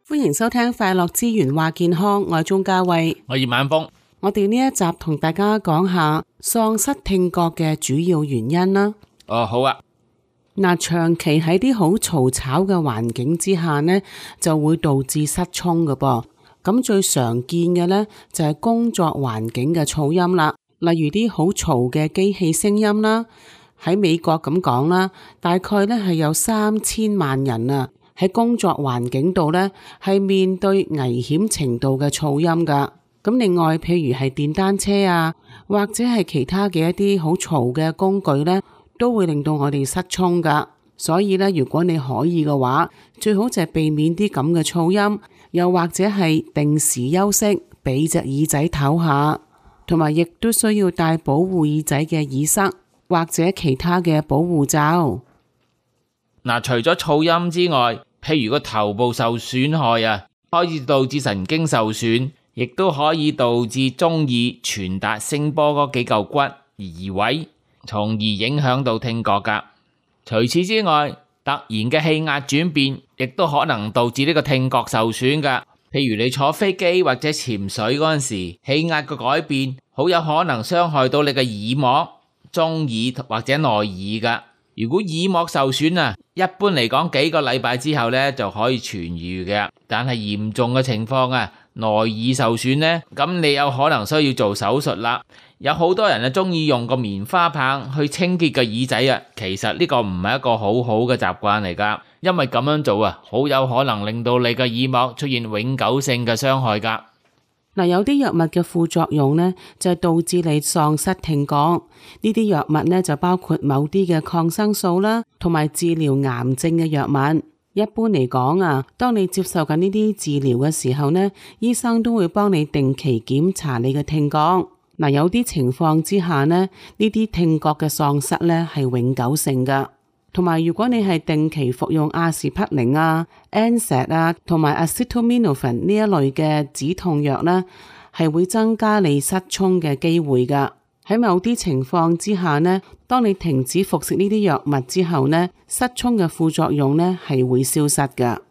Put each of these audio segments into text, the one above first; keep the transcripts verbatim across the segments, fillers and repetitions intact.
歡迎收聽快樂之源話健康，我係鍾嘉慧，我葉晚風。我哋呢一集同大家講下喪失聽覺嘅主要原因啦。哦，好啊。嗱，長期喺啲好嘈吵嘅環境之下呢，就會導致失聰㗎噃。咁最常見嘅呢，就係工作環境嘅噪音啦，例如啲好嘈嘅機器聲音啦。喺美國咁講啦，大概呢係有三千萬人啊。喺工作環境度呢，係面對危險程度嘅噪音噶。咁另外，譬如係電單車啊，或者係其他嘅一啲好嘈嘅工具呢，都會令到我哋失聰噶。所以呢，如果你可以嘅話，最好就係避免啲咁嘅噪音，又或者係定時休息，俾隻耳仔唞下，同埋亦都需要戴保護耳仔嘅耳塞，或者其他嘅保護罩。嗱，除咗噪音之外，譬如個頭部受損害啊，可以導致神經受損，亦都可以導致中耳傳達聲波嗰幾嚿骨而移位，從而影響到聽覺噶。除此之外，突然嘅氣壓轉變，亦都可能導致呢個聽覺受損噶。譬如你坐飛機或者潛水嗰陣時，氣壓嘅改變，好有可能傷害到你嘅耳膜、中耳或者內耳噶。如果耳膜受損啊，一般嚟講幾個禮拜之後呢就可以痊癒嘅。但係嚴重嘅情況啊，內耳受損呢，咁你有可能需要做手術啦。有好多人啊中意用個棉花棒去清潔個耳仔啊，其實呢個唔係一個好好嘅習慣嚟噶，因為咁樣做啊，好有可能令到你嘅耳膜出現永久性嘅傷害噶。嗱，有啲藥物嘅副作用呢，就係導致你喪失聽覺。呢啲藥物呢，就包括某啲嘅抗生素啦，同埋治療癌症嘅藥物。一般嚟講啊，當你接受緊呢啲治療嘅時候呢，醫生都會幫你定期檢查你嘅聽覺。嗱，有啲情況之下呢，呢啲聽覺嘅喪失呢係永久性噶。同埋，如果你係定期服用阿士匹靈啊、N SAID 啊，同埋 acetaminophen 呢一類嘅止痛藥呢，係會增加你失聰嘅機會噶。喺某啲情況之下呢，當你停止服食呢啲藥物之後呢，失聰嘅副作用呢係會消失噶。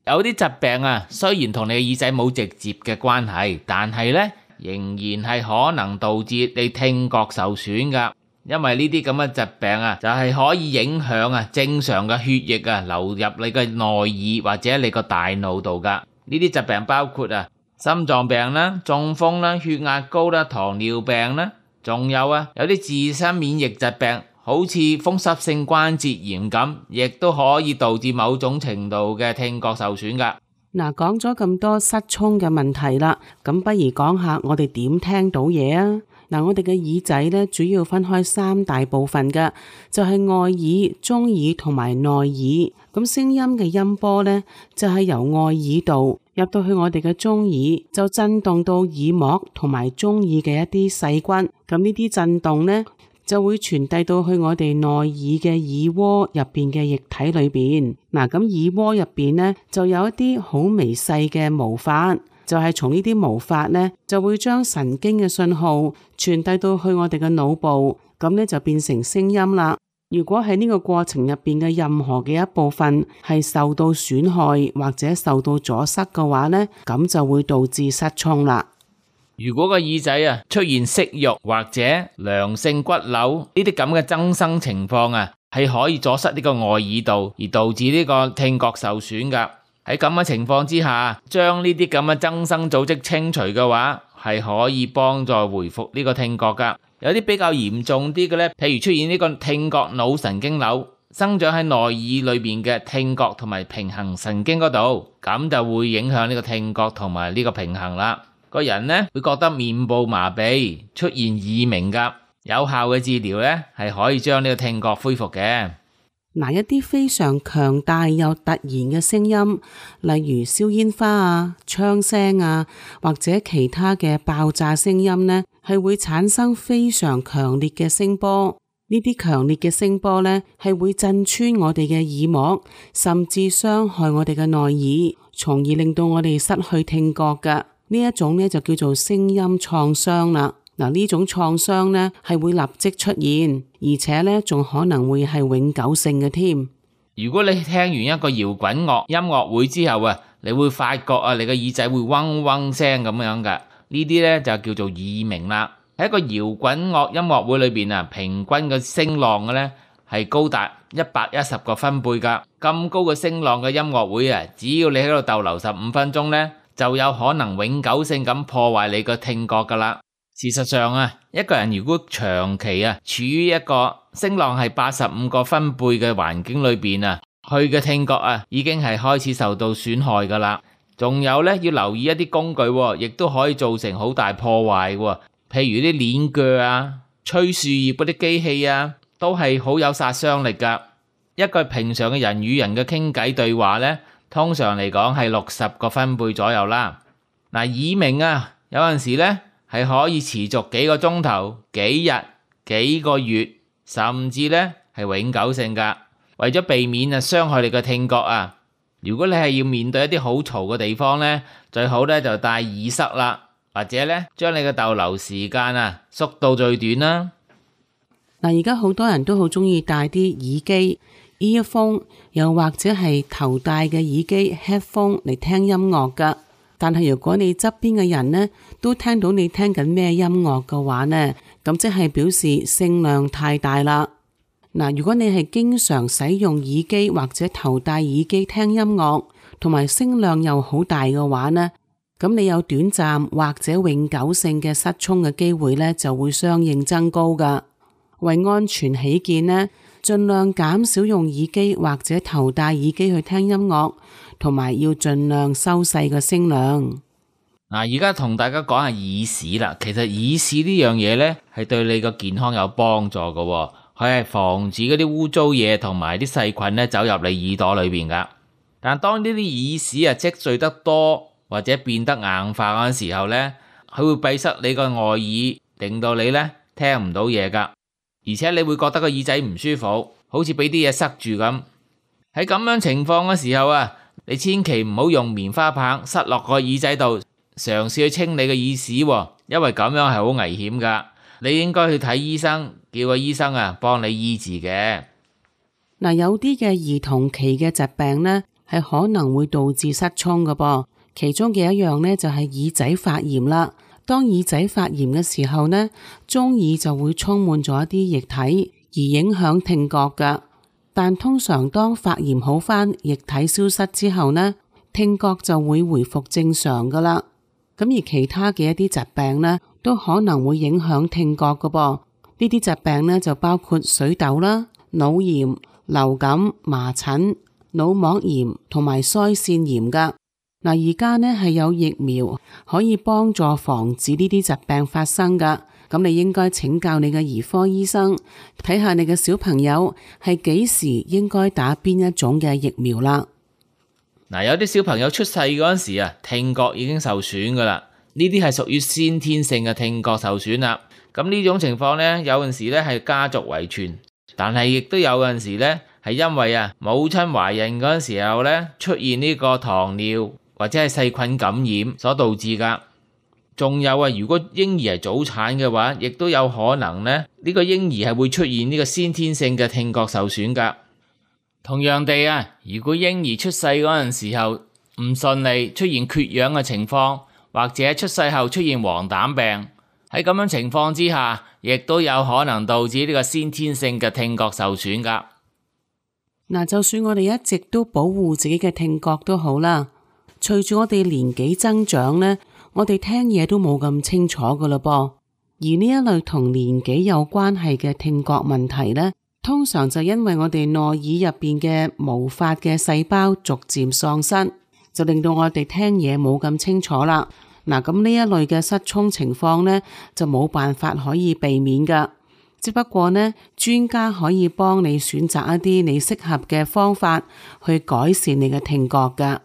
有啲疾病啊，雖然同你嘅耳仔冇直接嘅關係，但係呢仍然係可能導致你聽覺受損噶。因為呢啲咁嘅疾病啊，就係可以影響啊正常嘅血液啊流入你嘅內耳或者你個大腦度噶。呢啲疾病包括啊心臟病啦、中風啦、血壓高啦、糖尿病啦，仲有啊有啲自身免疫疾病，好似風濕性關節炎咁，亦都可以導致某種程度嘅聽覺受損噶。嗱，講咗咁多失聰嘅問題啦，咁不如講下我哋點聽到嘢啊？嗱，我哋嘅耳仔咧，主要分開三大部分嘅，就係外耳、中耳同埋內耳。咁聲音嘅音波咧，就係由外耳道入到去我哋嘅中耳，就震動到耳膜同埋中耳嘅一啲細菌。咁呢啲震動咧，就會傳遞到去我哋內耳嘅耳窩入邊嘅液體裏邊。嗱，咁耳窩入邊咧，就有一啲好微細嘅毛髮。就係從呢啲毛髮呢，就會將神經嘅信號傳遞到去我哋嘅腦部，咁呢就變成聲音啦。如果喺呢個過程入邊嘅任何嘅一部分係受到損害或者受到阻塞嘅話呢，咁就會導致失聰啦。如果個耳仔啊出現息肉或者良性骨瘤呢啲咁嘅增生情況啊，係可以阻塞呢個外耳道，而導致呢個聽覺受損噶。喺咁嘅情況之下，將呢啲咁嘅增生組織清除嘅話，係可以幫助回復呢個聽覺噶。有啲比較嚴重啲嘅呢，譬如出現呢個聽覺腦神經瘤，生長喺內耳裏面嘅聽覺同埋平衡神經嗰度，咁就會影響呢個聽覺同埋呢個平衡啦。個人呢會覺得面部麻痹，出現耳鳴噶。有效嘅治療呢係可以將呢個聽覺恢復嘅。嗱，一啲非常強大又突然嘅聲音，例如燒煙花啊、槍聲啊，或者其他嘅爆炸聲音呢，係會產生非常強烈嘅聲波。呢啲強烈嘅聲波呢，係會震穿我哋嘅耳膜，甚至傷害我哋嘅內耳，從而令到我哋失去聽覺噶。呢一種呢，就叫做聲音創傷啦。嗱，呢種創傷呢係會立即出現，而且呢仲可能會係永久性嘅添。如果你聽完一個搖滾樂音樂會之後啊，你會發覺啊，你個耳仔會嗡嗡聲咁樣㗎。呢啲呢就叫做耳鳴啦。喺一個搖滾樂音樂會裏邊啊，平均嘅聲浪嘅呢係高達一百一十個分貝㗎。咁高嘅聲浪嘅音樂會啊，只要你喺度逗留十五分鐘呢，就有可能永久性咁破壞你個聽覺㗎啦。事實上啊，一個人如果長期啊處於一個聲浪係八十五個分貝嘅環境裏邊啊，佢嘅聽覺啊已經係開始受到損害㗎啦。仲有呢，要留意一啲工具喎，亦都可以造成好大破壞喎。譬如啲鏈鋸啊、吹樹葉嗰啲機器啊，都係好有殺傷力㗎。一個平常嘅人與人嘅傾偈對話呢，通常嚟講係六十個分貝左右啦。嗱，耳鳴啊，有陣時呢係可以持續幾個鐘頭、幾日、幾個月，甚至呢係永久性㗎。為咗避免啊傷害你嘅聽覺啊，如果你係要面對一啲好嘈嘅地方呢，最好呢就戴耳塞啦，或者呢將你嘅逗留時間啊縮到最短啦。嗱，而家好多人都好中意戴啲耳機 earphone， 又或者係頭戴嘅耳機 headphone 嚟聽音樂噶。但係如果你側邊嘅人呢都聽到你聽緊咩音樂嘅話呢，咁即係表示聲量太大啦。嗱，如果你係經常使用耳機或者頭戴耳機聽音樂，同埋聲量又好大嘅話呢，咁你有短暫或者永久性嘅失聰嘅機會呢就會相應增高噶。為安全起見呢，盡量減少用耳機或者頭戴耳機去聽音樂，同埋要盡量收細個聲量。嗱，而家同大家講下耳屎啦。其實耳屎呢樣嘢呢，係對你個健康有幫助噶，佢係防止嗰啲污糟嘢同埋啲細菌呢走入你耳朵裏邊噶。但當呢啲耳屎啊積聚得多或者變得硬化嗰陣時候呢，佢會閉塞你個外耳，令到你呢聽唔到嘢噶。而且你會覺得個耳仔唔舒服，好似俾啲嘢塞住咁。喺咁樣情況嘅時候啊，你千祈唔好用棉花棒塞落個耳仔度，嘗試去清理個耳屎，因為咁樣係好危險噶。你應該去睇醫生，叫個醫生啊幫你醫治嘅。嗱，有啲嘅兒童期嘅疾病呢，係可能會導致失聰噶噃。其中嘅一樣呢，就係耳仔發炎啦。當耳仔發炎嘅時候呢，中耳就會充滿咗一啲液體，而影響聽覺噶。但通常當發炎好返，液體消失之後呢，聽覺就會回復正常噶啦。咁而其他嘅一啲疾病呢，都可能會影響聽覺噶噃。呢啲疾病呢，就包括水痘啦、腦炎、流感、麻疹、腦膜炎同埋腮腺炎噶。嗱，而家呢係有疫苗可以幫助防止呢啲疾病發生噶。咁你應該請教你嘅兒科醫生，睇下你嘅小朋友係幾時應該打邊一種嘅疫苗啦。嗱，有啲小朋友出世嗰陣時啊，聽覺已經受損噶啦，呢啲係屬於先天性嘅聽覺受損啦。咁呢種情況呢，有陣時呢係家族遺傳，但係亦都有陣時呢係因為啊母親懷孕嗰陣時候呢出現呢個糖尿或者係細菌感染所導致噶。仲有啊，如果嬰兒係早產嘅話，亦都有可能呢，呢個嬰兒係會出現呢個先天性嘅聽覺受損噶。同樣地啊，如果嬰兒出世嗰陣時候唔順利，出現缺氧嘅情況，或者出世後出現黃疸病，喺咁樣情況之下，亦都有可能導致呢個先天性嘅聽覺受損噶。嗱，就算我哋一直都保護自己嘅聽覺都好啦，隨住我哋年紀增長呢，我哋聽嘢都冇咁清楚噶啦噃。而呢一類同年紀有關係嘅聽覺問題呢，通常就因為我哋內耳入邊嘅毛髮嘅細胞逐漸喪失，就令到我哋聽嘢冇咁清楚啦。嗱，咁呢一類嘅失聰情況呢，就冇辦法可以避免噶。只不過呢，專家可以幫你選擇一啲你適合嘅方法去改善你嘅聽覺噶。